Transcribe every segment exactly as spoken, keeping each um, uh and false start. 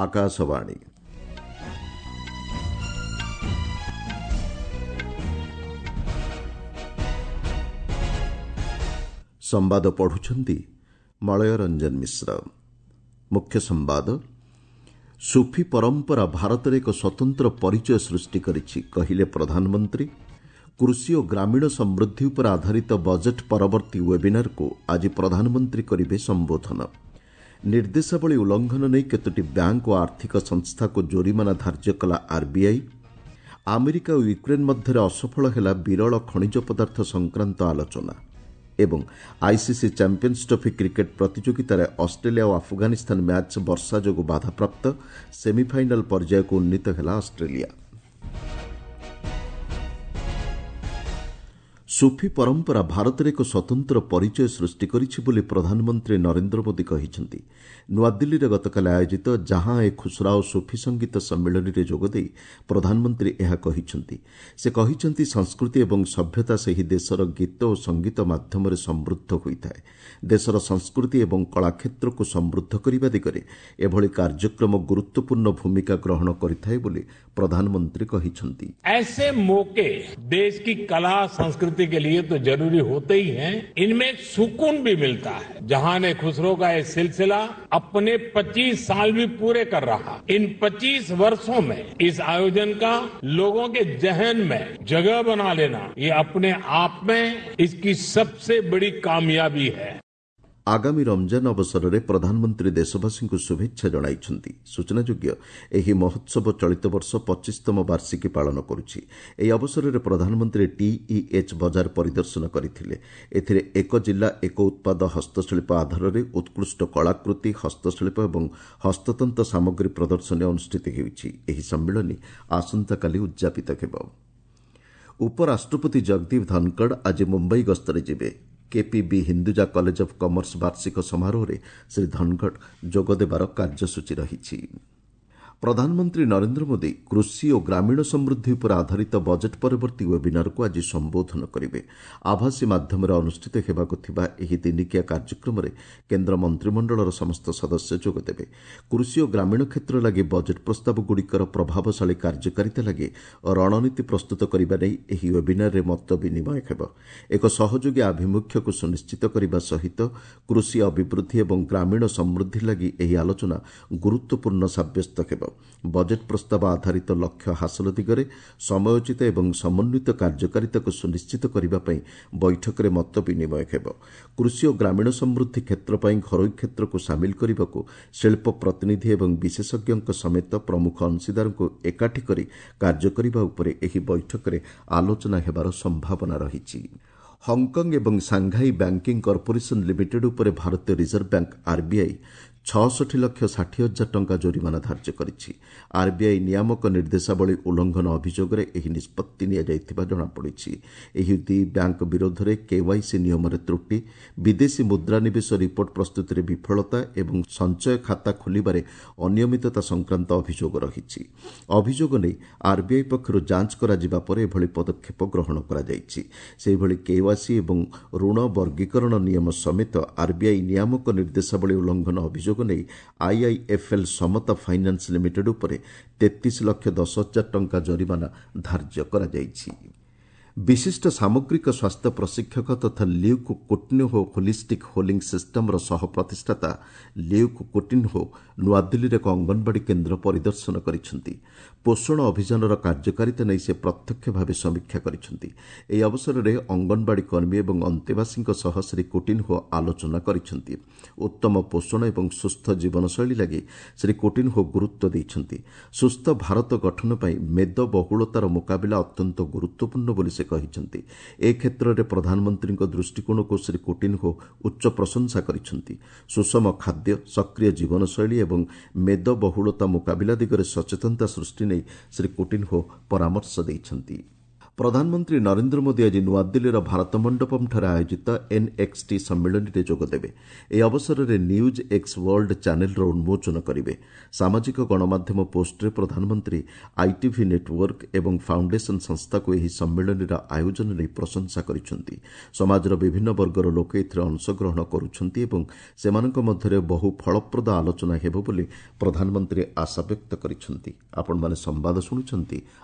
ଆକାଶବାଣୀ। ସମ୍ବାଦ ପଢୁଛନ୍ତି ମଳୟ ରଞ୍ଜନ ମିଶ୍ର। ମୁଖ୍ୟ ସମ୍ବାଦ। ସୁଫି ପରମ୍ପରା ଭାରତରେ ଏକ ସ୍ୱତନ୍ତ୍ର ପରିଚୟ ସୃଷ୍ଟି କରିଛି, କହିଲେ ପ୍ରଧାନମନ୍ତ୍ରୀ। କୃଷି ଓ ଗ୍ରାମୀଣ ସମୃଦ୍ଧି ଉପରେ ଆଧାରିତ ବଜେଟ୍ ପରବର୍ତ୍ତୀ ୱେବିନାରକୁ ଆଜି ପ୍ରଧାନମନ୍ତ୍ରୀ କରିବେ ସମ୍ବୋଧନ। ନିର୍ଦ୍ଦେଶାବଳୀ ଉଲ୍ଲଂଘନ ନେଇ କେତୋଟି ବ୍ୟାଙ୍କ ଓ ଆର୍ଥିକ ସଂସ୍ଥାକୁ ଜୋରିମାନା ଧାର୍ଯ୍ୟ କଲା ଆର୍ବିଆଇ। ଆମେରିକା ଓ ୟୁକ୍ରେନ୍ ମଧ୍ୟରେ ଅସଫଳ ହେଲା ବିରଳ ଖଣିଜ ପଦାର୍ଥ ସଂକ୍ରାନ୍ତ ଆଲୋଚନା। ଏବଂ ଆଇସିସି ଚାମ୍ପିୟନ୍ସ ଟ୍ରଫି କ୍ରିକେଟ୍ ପ୍ରତିଯୋଗିତାରେ ଅଷ୍ଟ୍ରେଲିଆ ଓ ଆଫଗାନିସ୍ତାନ ମ୍ୟାଚ୍ ବର୍ଷା ଯୋଗୁଁ ବାଧାପ୍ରାପ୍ତ। ସେମିଫାଇନାଲ୍ ପର୍ଯ୍ୟାୟକୁ ଉନ୍ନୀତ ହେଲା ଅଷ୍ଟ୍ରେଲିଆ। ସୁଫି ପରମ୍ପରା ଭାରତରେ ଏକ ସ୍ୱତନ୍ତ୍ର ପରିଚୟ ସୃଷ୍ଟି କରିଛି ବୋଲି ପ୍ରଧାନମନ୍ତ୍ରୀ ନରେନ୍ଦ୍ର ମୋଦି କହିଛନ୍ତି। ନୂଆଦିଲ୍ଲୀରେ ଗତକାଲି ଆୟୋଜିତ ଜହାଁ ଏ ଖୁସରାଓ ସୁଫି ସଙ୍ଗୀତ ସମ୍ମିଳନୀରେ ଯୋଗଦେଇ ପ୍ରଧାନମନ୍ତ୍ରୀ ଏହା କହିଛନ୍ତି। ସେ କହିଛନ୍ତି, ସଂସ୍କୃତି ଏବଂ ସଭ୍ୟତା ସେହି ଦେଶର ଗୀତ ଓ ସଙ୍ଗୀତ ମାଧ୍ୟମରେ ସମୃଦ୍ଧ ହୋଇଥାଏ। ଦେଶର ସଂସ୍କୃତି ଏବଂ କଳାକ୍ଷେତ୍ରକୁ ସମୃଦ୍ଧ କରିବା ଦିଗରେ ଏଭଳି କାର୍ଯ୍ୟକ୍ରମ ଗୁରୁତ୍ୱପୂର୍ଣ୍ଣ ଭୂମିକା ଗ୍ରହଣ କରିଥାଏ ବୋଲି ପ୍ରଧାନମନ୍ତ୍ରୀ କହିଛନ୍ତି। ऐसे मौके देश की कला संस्कृति के लिए तो जरूरी होते ही हैं, इनमें सुकून भी मिलता है। जहां ने खुसरो का ये सिलसिला अपने पच्चीस साल भी पूरे कर रहा। इन पच्चीस वर्षों में इस आयोजन का लोगों के जहन में जगह बना लेना, ये अपने आप में इसकी सबसे बड़ी कामयाबी है। ଆଗାମୀ ରମଜାନ ଅବସରରେ ପ୍ରଧାନମନ୍ତ୍ରୀ ଦେଶବାସୀଙ୍କୁ ଶୁଭେଚ୍ଛା ଜଣାଇଛନ୍ତି। ସୂଚନାଯୋଗ୍ୟ, ଏହି ମହୋତ୍ସବ ଚଳିତ ବର୍ଷ ପଚିଶତମ ବାର୍ଷିକୀ ପାଳନ କରୁଛି। ଏହି ଅବସରରେ ପ୍ରଧାନମନ୍ତ୍ରୀ ଟିଇଏଚ୍ ବଜାର ପରିଦର୍ଶନ କରିଥିଲେ। ଏଥିରେ ଏକ ଜିଲ୍ଲା ଏକ ଉତ୍ପାଦ ହସ୍ତଶିଳ୍ପ ଆଧାରରେ ଉତ୍କୃଷ୍ଟ କଳାକୃତି, ହସ୍ତଶିଳ୍ପ ଏବଂ ହସ୍ତତନ୍ତ ସାମଗ୍ରୀ ପ୍ରଦର୍ଶନୀ ଅନୁଷ୍ଠିତ ହେଉଛି। ଏହି ସମ୍ମିଳନୀ ଆସନ୍ତାକାଲି ଉଦ୍ଯାପିତ ହେବ। ଉପରାଷ୍ଟ୍ରପତି ଜଗଦୀପ ଧନଖଡ଼ ଆଜି ମୁମ୍ବାଇ ଗସ୍ତରେ ଯିବେ। କେପିବି ହିନ୍ଦୁଜା କଲେଜ ଅଫ୍ କମର୍ସ ବାର୍ଷିକ ସମାରୋହରେ ଶ୍ରୀ ଧନଖଡ଼ ଯୋଗଦେବାର କାର୍ଯ୍ୟସୂଚୀ ରହିଛି। ପ୍ରଧାନମନ୍ତ୍ରୀ ନରେନ୍ଦ୍ର ମୋଦି କୃଷି ଓ ଗ୍ରାମୀଣ ସମୃଦ୍ଧି ଉପରେ ଆଧାରିତ ବଜେଟ୍ ପରବର୍ତ୍ତୀ ୱେବିନାରକୁ ଆଜି ସମ୍ବୋଧନ କରିବେ। ଆଭାସୀ ମାଧ୍ୟମରେ ଅନୁଷ୍ଠିତ ହେବାକୁ ଥିବା ଏହି ଦିନିକିଆ କାର୍ଯ୍ୟକ୍ରମରେ କେନ୍ଦ୍ର ମନ୍ତ୍ରିମଣ୍ଡଳର ସମସ୍ତ ସଦସ୍ୟ ଯୋଗଦେବେ। କୃଷି ଓ ଗ୍ରାମୀଣ କ୍ଷେତ୍ର ଲାଗି ବଜେଟ୍ ପ୍ରସ୍ତାବଗୁଡ଼ିକର ପ୍ରଭାବଶାଳୀ କାର୍ଯ୍ୟକାରିତା ଲାଗି ରଣନୀତି ପ୍ରସ୍ତୁତ କରିବା ନେଇ ଏହି ୱେବିନାରରେ ମତ ବିନିମୟ ହେବ। ଏକ ସହଯୋଗୀ ଆଭିମୁଖ୍ୟକୁ ସୁନିଶ୍ଚିତ କରିବା ସହିତ କୃଷି ଅଭିବୃଦ୍ଧି ଏବଂ ଗ୍ରାମୀଣ ସମୃଦ୍ଧି ଲାଗି ଏହି ଆଲୋଚନା ଗୁରୁତ୍ୱପୂର୍ଣ୍ଣ ସାବ୍ୟସ୍ତ ହେବ। ବଜେଟ୍ ପ୍ରସ୍ତାବ ଆଧାରିତ ଲକ୍ଷ୍ୟ ହାସଲ ଦିଗରେ ସମୟୋଚିତ ଏବଂ ସମନ୍ୱିତ କାର୍ଯ୍ୟକାରିତାକୁ ସୁନିଶ୍ଚିତ କରିବା ପାଇଁ ବୈଠକରେ ମତ ବିନିମୟ ହେବ। କୃଷି ଓ ଗ୍ରାମୀଣ ସମୃଦ୍ଧି କ୍ଷେତ୍ର ପାଇଁ ଘରୋଇ କ୍ଷେତ୍ରକୁ ସାମିଲ କରିବାକୁ ଶିଳ୍ପ ପ୍ରତିନିଧି ଏବଂ ବିଶେଷଜ୍ଞଙ୍କ ସମେତ ପ୍ରମୁଖ ଅଂଶୀଦାରଙ୍କୁ ଏକାଠି କରି କାର୍ଯ୍ୟ କରିବା ଉପରେ ଏହି ବୈଠକରେ ଆଲୋଚନା ହେବାର ସମ୍ଭାବନା ରହିଛି। ହଂକଂ ଏବଂ ସାଂଘାଇ ବ୍ୟାଙ୍କିଂ କର୍ପୋରେସନ୍ ଲିମିଟେଡ୍ ଉପରେ ଭାରତୀୟ ରିଜର୍ଭ ବ୍ୟାଙ୍କ ଆର୍ବିଆଇ ଛଅଷଠି ଲକ୍ଷ ଷାଠିଏ ହଜାର ଟଙ୍କା ଜୋରିମାନା ଧାର୍ଯ୍ୟ କରିଛି। ଆର୍ବିଆଇ ନିୟାମକ ନିର୍ଦ୍ଦେଶାବଳୀ ଉଲ୍ଲଂଘନ ଅଭିଯୋଗରେ ଏହି ନିଷ୍ପତ୍ତି ନିଆଯାଇଥିବା ଜଣାପଡ଼ିଛି। ଏହି ଦୁଇ ବ୍ୟାଙ୍କ ବିରୋଧରେ କେୱାଇସି ନିୟମରେ ତ୍ରୁଟି, ବିଦେଶୀ ମୁଦ୍ରା ନିବେଶ ରିପୋର୍ଟ ପ୍ରସ୍ତୁତିରେ ବିଫଳତା ଏବଂ ସଞ୍ଚୟ ଖାତା ଖୋଲିବାରେ ଅନିୟମିତତା ସଂକ୍ରାନ୍ତ ଅଭିଯୋଗ ରହିଛି। ଅଭିଯୋଗ ନେଇ ଆର୍ବିଆଇ ପକ୍ଷରୁ ଯାଞ୍ଚ କରାଯିବା ପରେ ଏଭଳି ପଦକ୍ଷେପ ଗ୍ରହଣ କରାଯାଇଛି। ସେହିଭଳି କେୱାଇସି ଏବଂ ଋଣ ବର୍ଗୀକରଣ ନିୟମ ସମେତ ଆର୍ବିଆଇ ନିୟାମକ ନିର୍ଦ୍ଦେଶାବଳୀ ଉଲ୍ଲଂଘନ ଅଭିଯୋଗ ନେଇ ଆଇଆଇଏଫ୍ଏଲ୍ ସମତା ଫାଇନାନ୍ସ ଲିମିଟେଡ୍ ଉପରେ ତେତିଶ ଲକ୍ଷ ଦଶ ହଜାର ଟଙ୍କା ଜରିମାନା ଧାର୍ଯ୍ୟ କରାଯାଇଛି। ବିଶିଷ୍ଟ ସାମଗ୍ରିକ ସ୍ୱାସ୍ଥ୍ୟ ପ୍ରଶିକ୍ଷକ ତଥା ଲ୍ୟୁକ୍ କୁଟିନ୍ହୋ ହୋଲିଷ୍ଟିକ୍ ହୋଲିଂ ସିଷ୍ଟମ୍ର ସହ ପ୍ରତିଷ୍ଠାତା ଲ୍ୟୁକ୍ କୁଟିନ୍ହୋ ନୂଆଦିଲ୍ଲୀରେ ଏକ ଅଙ୍ଗନବାଡ଼ି କେନ୍ଦ୍ର ପରିଦର୍ଶନ କରିଛନ୍ତି। ପୋଷଣ ଅଭିଯାନର କାର୍ଯ୍ୟକାରିତା ନେଇ ସେ ପ୍ରତ୍ୟକ୍ଷ ଭାବେ ସମୀକ୍ଷା କରିଛନ୍ତି। ଏହି ଅବସରରେ ଅଙ୍ଗନବାଡ଼ି କର୍ମୀ ଏବଂ ଅନ୍ତେବାସୀଙ୍କ ସହ ଶ୍ରୀ କୁଟିନ୍ହୋ ଆଲୋଚନା କରିଛନ୍ତି। ଉତ୍ତମ ପୋଷଣ ଏବଂ ସୁସ୍ଥ ଜୀବନଶୈଳୀ ଲାଗି ଶ୍ରୀ କୁଟିନ୍ହୋ ଗୁରୁତ୍ୱ ଦେଇଛନ୍ତି। ସୁସ୍ଥ ଭାରତ ଗଠନ ପାଇଁ ମେଦବହୁଳତାର ମୁକାବିଲା ଅତ୍ୟନ୍ତ ଗୁରୁତ୍ୱପୂର୍ଣ୍ଣ ବୋଲି ସେ କହିଛନ୍ତି। ଏ କ୍ଷେତ୍ରରେ ପ୍ରଧାନମନ୍ତ୍ରୀଙ୍କ ଦୃଷ୍ଟିକୋଣକୁ ଶ୍ରୀ କୁଟିନ୍ହୋ ଉଚ୍ଚ ପ୍ରଶଂସା କରିଛନ୍ତି। ସୁଷମ ଖାଦ୍ୟ, ସକ୍ରିୟ ଜୀବନଶୈଳୀ ଏବଂ ମେଦବହୁଳତା ମୁକାବିଲା ଦିଗରେ ସଚେତନତା ସୃଷ୍ଟି ନେଇ ଶ୍ରୀ କୁଟିନ୍ହୋ ପରାମର୍ଶ ଦେଇଛନ୍ତି। ପ୍ରଧାନମନ୍ତ୍ରୀ ନରେନ୍ଦ୍ର ମୋଦି ଆଜି ନୂଆଦିଲ୍ଲୀର ଭାରତ ମଣ୍ଡପମ୍ଠାରେ ଆୟୋଜିତ ଏନ୍ଏକ୍ସଟି ସମ୍ମିଳନୀରେ ଯୋଗଦେବେ। ଏହି ଅବସରରେ ନ୍ୟୁଜ୍ ଏକ୍ସ ୱାର୍ଲଡ ଚ୍ୟାନେଲ୍ର ଉନ୍ମୋଚନ କରିବେ। ସାମାଜିକ ଗଣମାଧ୍ୟମ ପୋଷ୍ଟରେ ପ୍ରଧାନମନ୍ତ୍ରୀ ଆଇଟିଭି ନେଟୱାର୍କ ଏବଂ ଫାଉଣ୍ଡେସନ ସଂସ୍ଥାକୁ ଏହି ସମ୍ମିଳନୀର ଆୟୋଜନ ନେଇ ପ୍ରଶଂସା କରିଛନ୍ତି। ସମାଜର ବିଭିନ୍ନ ବର୍ଗର ଲୋକେ ଏଥିରେ ଅଂଶଗ୍ରହଣ କରୁଛନ୍ତି ଏବଂ ସେମାନଙ୍କ ମଧ୍ୟରେ ବହୁ ଫଳପ୍ରଦ ଆଲୋଚନା ହେବ ବୋଲି ପ୍ରଧାନମନ୍ତ୍ରୀ ଆଶାବ୍ୟକ୍ତ କରିଛନ୍ତି। ଆପଣମାନେ ସମ୍ବାଦ ଶୁଣୁଛନ୍ତି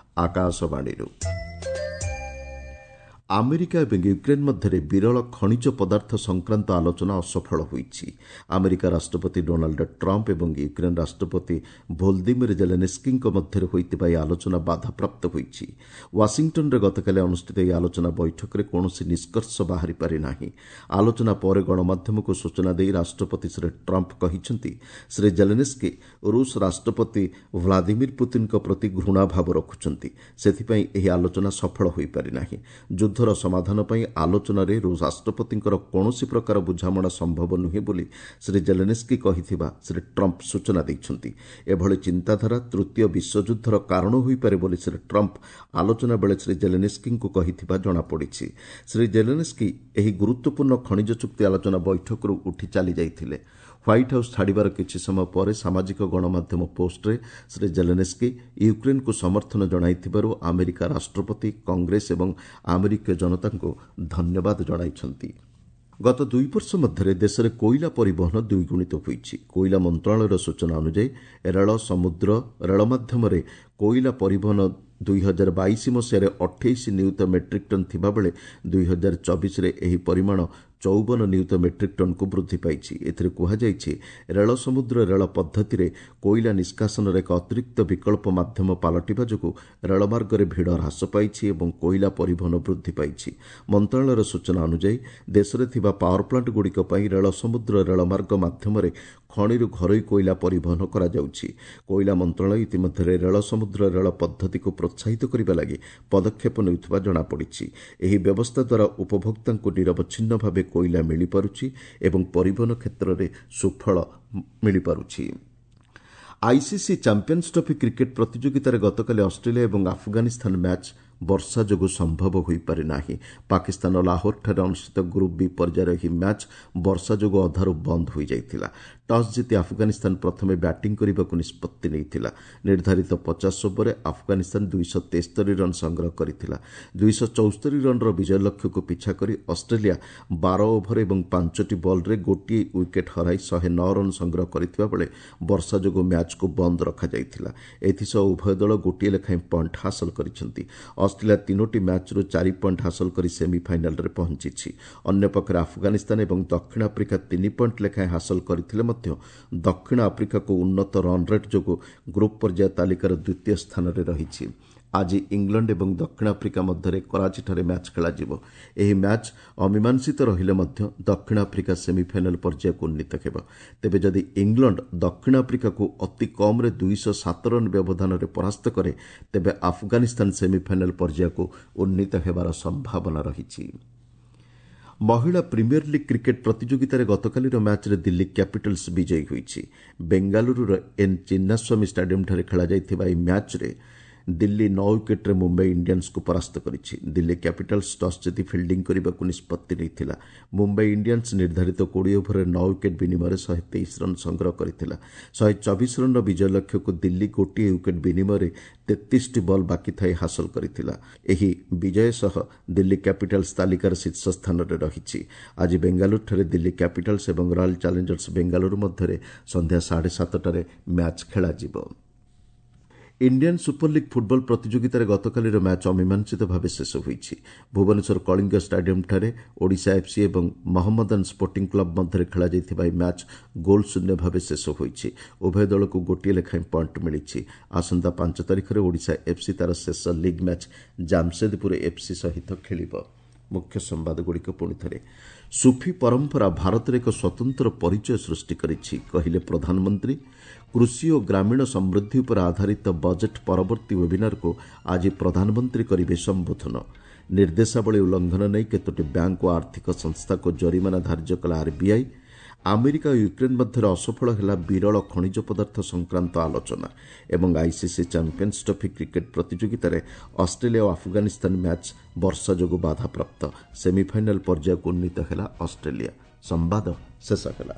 ଆକାଶବାଣୀରୁ। ଆମେରିକା ଏବଂ ୟୁକ୍ରେନ୍ ମଧ୍ୟରେ ବିରଳ ଖଣିଜ ପଦାର୍ଥ ସଂକ୍ରାନ୍ତ ଆଲୋଚନା ଅସଫଳ ହୋଇଛି। ଆମେରିକା ରାଷ୍ଟ୍ରପତି ଡୋନାଲ୍ଡ ଟ୍ରମ୍ପ ଏବଂ ୟୁକ୍ରେନ୍ ରାଷ୍ଟ୍ରପତି ଭୋଲଦିମିର ଜେଲେନ୍ସ୍କିଙ୍କ ମଧ୍ୟରେ ହୋଇଥିବା ଏହି ଆଲୋଚନା ବାଧାପ୍ରାପ୍ତ ହୋଇଛି। ୱାଶିଂଟନ୍ରେ ଗତକାଲି ଅନୁଷ୍ଠିତ ଏହି ଆଲୋଚନା ବୈଠକରେ କୌଣସି ନିଷ୍କର୍ଷ ବାହାରି ପାରିନାହିଁ। ଆଲୋଚନା ପରେ ଗଣମାଧ୍ୟମକୁ ସୂଚନା ଦେଇ ରାଷ୍ଟ୍ରପତି ଶ୍ରୀ ଟ୍ରମ୍ପ କହିଛନ୍ତି, ଶ୍ରୀ ଜେଲେନ୍ସ୍କି ରୁଷ ରାଷ୍ଟ୍ରପତି ଭ୍ଲାଦିମିର ପୁତିନ୍ଙ୍କ ପ୍ରତି ଘୃଣାଭାବ ରଖୁଛନ୍ତି, ସେଥିପାଇଁ ଏହି ଆଲୋଚନା ସଫଳ ହୋଇପାରିନାହିଁ। ଯୁଦ୍ଧର ସମାଧାନ ପାଇଁ ଆଲୋଚନାରେ ରୁଷ ରାଷ୍ଟ୍ରପତିଙ୍କର କୌଣସି ପ୍ରକାର ବୁଝାମଣା ସମ୍ଭବ ନୁହେଁ ବୋଲି ଶ୍ରୀ ଜେଲେନ୍ସ୍କି କହିଥିବା ଶ୍ରୀ ଟ୍ରମ୍ପ ସୂଚନା ଦେଇଛନ୍ତି। ଏଭଳି ଚିନ୍ତାଧାରା ତୃତୀୟ ବିଶ୍ୱଯୁଦ୍ଧର କାରଣ ହୋଇପାରେ ବୋଲି ଶ୍ରୀ ଟ୍ରମ୍ପ ଆଲୋଚନା ବେଳେ ଶ୍ରୀ ଜେଲେନ୍ସ୍କିଙ୍କୁ କହିଥିବା ଜଣାପଡ଼ିଛି। ଶ୍ରୀ ଜେଲେନ୍ସ୍କି ଏହି ଗୁରୁତ୍ୱପୂର୍ଣ୍ଣ ଖଣିଜ ଚୁକ୍ତି ଆଲୋଚନା ବୈଠକରୁ ଉଠି ଚାଲିଯାଇଥିଲେ। ହ୍ୱାଇଟ୍ ହାଉସ୍ ଛାଡ଼ିବାର କିଛି ସମୟ ପରେ ସାମାଜିକ ଗଣମାଧ୍ୟମ ପୋଷ୍ଟରେ ଶ୍ରୀ ଜେଲେନ୍ସ୍କି ୟୁକ୍ରେନ୍କୁ ସମର୍ଥନ ଜଣାଇଥିବାରୁ ଆମେରିକା ରାଷ୍ଟ୍ରପତି, କଂଗ୍ରେସ ଏବଂ ଆମେରିକୀୟ ଜନତାଙ୍କୁ ଧନ୍ୟବାଦ ଜଣାଇଛନ୍ତି। ଗତ ଦୁଇ ବର୍ଷ ମଧ୍ୟରେ ଦେଶରେ କୋଇଲା ପରିବହନ ଦ୍ୱିଗୁଣିତ ହୋଇଛି। କୋଇଲା ମନ୍ତ୍ରଣାଳୟର ସୂଚନା ଅନୁଯାୟୀ ରେଳ, ସମୁଦ୍ର, ରେଳ ମାଧ୍ୟମରେ କୋଇଲା ପରିବହନ ଦୁଇ ହଜାର ବାଇଶ ମସିହାରେ ଅଠେଇଶ ନିୟୁତ ମେଟ୍ରିକ୍ ଟନ୍ ଥିବାବେଳେ ଦୁଇ ହଜାର ଚବିଶରେ ଏହି ପରିମାଣ ଚଉବନ ନିୟୁତ ମେଟ୍ରିକ୍ ଟନ୍କୁ ବୃଦ୍ଧି ପାଇଛି। ଏଥିରେ କୁହାଯାଇଛି, ରେଳ ସମୁଦ୍ର ରେଳ ପଦ୍ଧତିରେ କୋଇଲା ନିଷ୍କାସନର ଏକ ଅତିରିକ୍ତ ବିକଳ୍ପ ମାଧ୍ୟମ ପାଲଟିବା ଯୋଗୁଁ ରେଳମାର୍ଗରେ ଭିଡ଼ ହ୍ରାସ ପାଇଛି ଏବଂ କୋଇଲା ପରିବହନ ବୃଦ୍ଧି ପାଇଛି। ମନ୍ତ୍ରଣାଳୟର ସୂଚନା ଅନୁଯାୟୀ ଦେଶରେ ଥିବା ପାୱାର ପ୍ଲାଣ୍ଟଗୁଡ଼ିକ ପାଇଁ ରେଳ ସମୁଦ୍ର ରେଳମାର୍ଗ ମାଧ୍ୟମରେ ଖଣିରୁ ଘରୋଇ କୋଇଲା ପରିବହନ କରାଯାଉଛି। କୋଇଲା ମନ୍ତ୍ରଣାଳୟ ଇତିମଧ୍ୟରେ ରେଳ ସମୁଦ୍ର ରେଳ ପଦ୍ଧତିକୁ ପ୍ରୋତ୍ସାହିତ କରିବା ଲାଗି ପଦକ୍ଷେପ ନେଉଥିବା ଜଣାପଡ଼ିଛି। ଏହି ବ୍ୟବସ୍ଥା ଦ୍ୱାରା ଉପଭୋକ୍ତାଙ୍କୁ ନିରବଚ୍ଛିନ୍ନ ଭାବେ କୋଇଲା ମିଳିପାରୁଛି ଏବଂ ପରିବହନ କ୍ଷେତ୍ରରେ ସୁଫଳ ମିଳିପାରୁଛି। ଆଇସିସି ଚାମ୍ପିୟନ୍ସ ଟ୍ରଫି କ୍ରିକେଟ୍ ପ୍ରତିଯୋଗିତାରେ ଗତକାଲି ଅଷ୍ଟ୍ରେଲିଆ ଏବଂ ଆଫଗାନିସ୍ତାନ ମ୍ୟାଚ୍ ବର୍ଷା ଯୋଗୁଁ ସମ୍ଭବ ହୋଇପାରିନାହିଁ। ପାକିସ୍ତାନର ଲାହୋରଠାରେ ଅନୁଷ୍ଠିତ ଗ୍ରୁପ୍ ବି ପର୍ଯ୍ୟାୟର ଏହି ମ୍ୟାଚ୍ ବର୍ଷା ଯୋଗୁଁ ଅଧାରୁ ବନ୍ଦ ହୋଇଯାଇଥିଲା। ଟସ୍ ଜିତି ଆଫଗାନିସ୍ତାନ ପ୍ରଥମେ ବ୍ୟାଟିଂ କରିବାକୁ ନିଷ୍ପତ୍ତି ନେଇଥିଲା। ନିର୍ଦ୍ଧାରିତ ପଚାଶ ଓଭରରେ ଆଫଗାନିସ୍ତାନ ଦୁଇଶହ ତେସ୍ତରୀ ରନ୍ ସଂଗ୍ରହ କରିଥିଲା। ଦୁଇଶହ ଚଉସ୍ତରୀ ରନ୍ର ବିଜୟ ଲକ୍ଷ୍ୟକୁ ପିଛା କରି ଅଷ୍ଟ୍ରେଲିଆ ବାର ଓଭର ଏବଂ ପାଞ୍ଚଟି ବଲ୍ରେ ଗୋଟିଏ ୱିକେଟ୍ ହରାଇ ଶହେ ନଅ ରନ୍ ସଂଗ୍ରହ କରିଥିବା ବେଳେ ବର୍ଷା ଯୋଗୁଁ ମ୍ୟାଚ୍କୁ ବନ୍ଦ ରଖାଯାଇଥିଲା। ଏଥିସହ ଉଭୟ ଦଳ ଗୋଟିଏ ଲେଖାଏଁ ପଏଣ୍ଟ ହାସଲ କରିଛନ୍ତି। ଅଷ୍ଟ୍ରେଲିଆ ତିନୋଟି ମ୍ୟାଚ୍ରୁ ଚାରି ପଏଣ୍ଟ ହାସଲ କରି ସେମିଫାଇନାଲରେ ପହଞ୍ଚିଛି। ଅନ୍ୟପକ୍ଷରେ ଆଫଗାନିସ୍ତାନ ଏବଂ ଦକ୍ଷିଣ ଆଫ୍ରିକା ତିନି ପଏଣ୍ଟ ଲେଖାଏଁ ହାସଲ କରିଥିଲେ ମଧ୍ୟ ଦକ୍ଷିଣ ଆଫ୍ରିକାକୁ ଉନ୍ନତ ରନ୍ ରେଟ୍ ଯୋଗୁଁ ଗ୍ରୁପ୍ ପର୍ଯ୍ୟାୟ ତାଲିକାର ଦ୍ୱିତୀୟ ସ୍ଥାନରେ ରହିଛି। ଆଜି ଇଂଲଣ୍ଡ ଏବଂ ଦକ୍ଷିଣ ଆଫ୍ରିକା ମଧ୍ୟରେ କରାଚିଠାରେ ମ୍ୟାଚ୍ ଖେଳାଯିବ। ଏହି ମ୍ୟାଚ୍ ଅମୀମାଂସିତ ରହିଲେ ମଧ୍ୟ ଦକ୍ଷିଣ ଆଫ୍ରିକା ସେମିଫାଇନାଲ ପର୍ଯ୍ୟାୟକୁ ଉନ୍ନୀତ ହେବ। ତେବେ ଯଦି ଇଂଲଣ୍ଡ ଦକ୍ଷିଣ ଆଫ୍ରିକାକୁ ଅତି କମ୍ରେ ଦୁଇଶହ ସାତ ରନ୍ ବ୍ୟବଧାନରେ ପରାସ୍ତ କରେ, ତେବେ ଆଫଗାନିସ୍ତାନ ସେମିଫାଇନାଲ ପର୍ଯ୍ୟାୟକୁ ଉନ୍ନୀତ ହେବାର ସମ୍ଭାବନା ରହିଛି। ମହିଳା ପ୍ରିମିୟର ଲିଗ୍ କ୍ରିକେଟ୍ ପ୍ରତିଯୋଗିତାରେ ଗତକାଲିର ମ୍ୟାଚ୍ରେ ଦିଲ୍ଲୀ କ୍ୟାପିଟାଲ୍ସ ବିଜୟୀ ହୋଇଛି। ବେଙ୍ଗାଲୁରୁର ଏନ୍ ଚିନ୍ନାସ୍ୱାମୀ ଷ୍ଟାଡିୟମ୍ଠାରେ ଖେଳାଯାଇଥିବା ଏହି ମ୍ୟାଚ୍ରେ ଦିଲ୍ଲୀ ନଅ ୱିକେଟ୍ରେ ମୁମ୍ବାଇ ଇଣ୍ଡିଆନ୍ସକୁ ପରାସ୍ତ କରିଛି। ଦିଲ୍ଲୀ କ୍ୟାପିଟାଲ୍ସ ଟସ୍ ଜିତି ଫିଲ୍ଡିଂ କରିବାକୁ ନିଷ୍ପତ୍ତି ନେଇଥିଲା। ମୁମ୍ବାଇ ଇଣ୍ଡିଆନ୍ସ ନିର୍ଦ୍ଧାରିତ କୋଡ଼ିଏ ଓଭରରେ ନଅ ୱିକେଟ୍ ବିନିମୟରେ ଶହେ ତେଇଶ ରନ୍ ସଂଗ୍ରହ କରିଥିଲା। ଶହେ ଚବିଶ ରନ୍ର ବିଜୟ ଲକ୍ଷ୍ୟକୁ ଦିଲ୍ଲୀ ଗୋଟିଏ ୱିକେଟ୍ ବିନିମୟରେ ତେତିଶଟି ବଲ୍ ବାକି ଥାଇ ହାସଲ କରିଥିଲା। ଏହି ବିଜୟ ସହ ଦିଲ୍ଲୀ କ୍ୟାପିଟାଲ୍ସ ତାଲିକାର ଶୀର୍ଷ ସ୍ଥାନରେ ରହିଛି। ଆଜି ବେଙ୍ଗାଲୁରୁଠାରେ ଦିଲ୍ଲୀ କ୍ୟାପିଟାଲ୍ସ ଏବଂ ରୟାଲ ଚ୍ୟାଲେଞ୍ଜର୍ସ ବେଙ୍ଗାଲୁରୁ ମଧ୍ୟରେ ସନ୍ଧ୍ୟା ସାଢ଼େ ସାତଟାରେ ମ୍ୟାଚ୍ ଖେଳାଯିବ। ଇଣ୍ଡିଆନ୍ ସୁପର ଲିଗ୍ ଫୁଟବଲ ପ୍ରତିଯୋଗିତାରେ ଗତକାଲିର ମ୍ୟାଚ୍ ଅମୀମାଂସିତ ଭାବେ ଶେଷ ହୋଇଛି। ଭୁବନେଶ୍ୱର କଳିଙ୍ଗ ଷ୍ଟାଡିୟମ୍ଠାରେ ଓଡ଼ିଶା ଏଫ୍ସି ଏବଂ ମହମ୍ମଦନ ସ୍ପୋର୍ଟିଂ କ୍ଲବ ମଧ୍ୟରେ ଖେଳାଯାଇଥିବା ଏହି ମ୍ୟାଚ୍ ଗୋଲ୍ ଶୂନ୍ୟ ଭାବେ ଶେଷ ହୋଇଛି। ଉଭୟ ଦଳକୁ ଗୋଟିଏ ଲେଖାଏଁ ପଏଣ୍ଟ ମିଳିଛି। ଆସନ୍ତା ପାଞ୍ଚ ତାରିଖରେ ଓଡ଼ିଶା ଏଫ୍ସି ତା'ର ଶେଷ ଲିଗ୍ ମ୍ୟାଚ୍ ଜାମସେଦପୁର ଏଫ୍ସି ସହିତ ଖେଳିବ। ମୁଖ୍ୟ ସମ୍ବାଦଗୁଡ଼ିକ ପୁଣି ଥରେ। ସୁଫି ପରମ୍ପରା ଭାରତରେ ଏକ ସ୍ୱତନ୍ତ୍ର ପରିଚୟ ସୃଷ୍ଟି କରିଛି, କହିଲେ ପ୍ରଧାନମନ୍ତ୍ରୀ। କୃଷି ଓ ଗ୍ରାମୀଣ ସମୃଦ୍ଧି ଉପରେ ଆଧାରିତ ବଜେଟ୍ ପରବର୍ତ୍ତୀ ୱେବିନାରକୁ ଆଜି ପ୍ରଧାନମନ୍ତ୍ରୀ କରିବେ ସମ୍ବୋଧନ। ନିର୍ଦ୍ଦେଶାବଳୀ ଉଲ୍ଲଂଘନ ନେଇ କେତୋଟି ବ୍ୟାଙ୍କ ଓ ଆର୍ଥିକ ସଂସ୍ଥାକୁ ଜରିମାନା ଧାର୍ଯ୍ୟ କଲା ଆର୍ବିଆଇ। ଆମେରିକା ଓ ୟୁକ୍ରେନ୍ ମଧ୍ୟରେ ଅସଫଳ ହେଲା ବିରଳ ଖଣିଜ ପଦାର୍ଥ ସଂକ୍ରାନ୍ତ ଆଲୋଚନା ଏବଂ ଆଇସିସି ଚାମ୍ପିୟନ୍ସ ଟ୍ରଫି କ୍ରିକେଟ୍ ପ୍ରତିଯୋଗିତାରେ ଅଷ୍ଟ୍ରେଲିଆ ଓ ଆଫଗାନିସ୍ତାନ ମ୍ୟାଚ୍ ବର୍ଷା ଯୋଗୁଁ ବାଧାପ୍ରାପ୍ତ। ସେମିଫାଇନାଲ୍ ପର୍ଯ୍ୟାୟକୁ ଉନ୍ନୀତ ହେଲା ଅଷ୍ଟ୍ରେଲିଆ। ସମ୍ବାଦ ଶେଷ ହେଲା।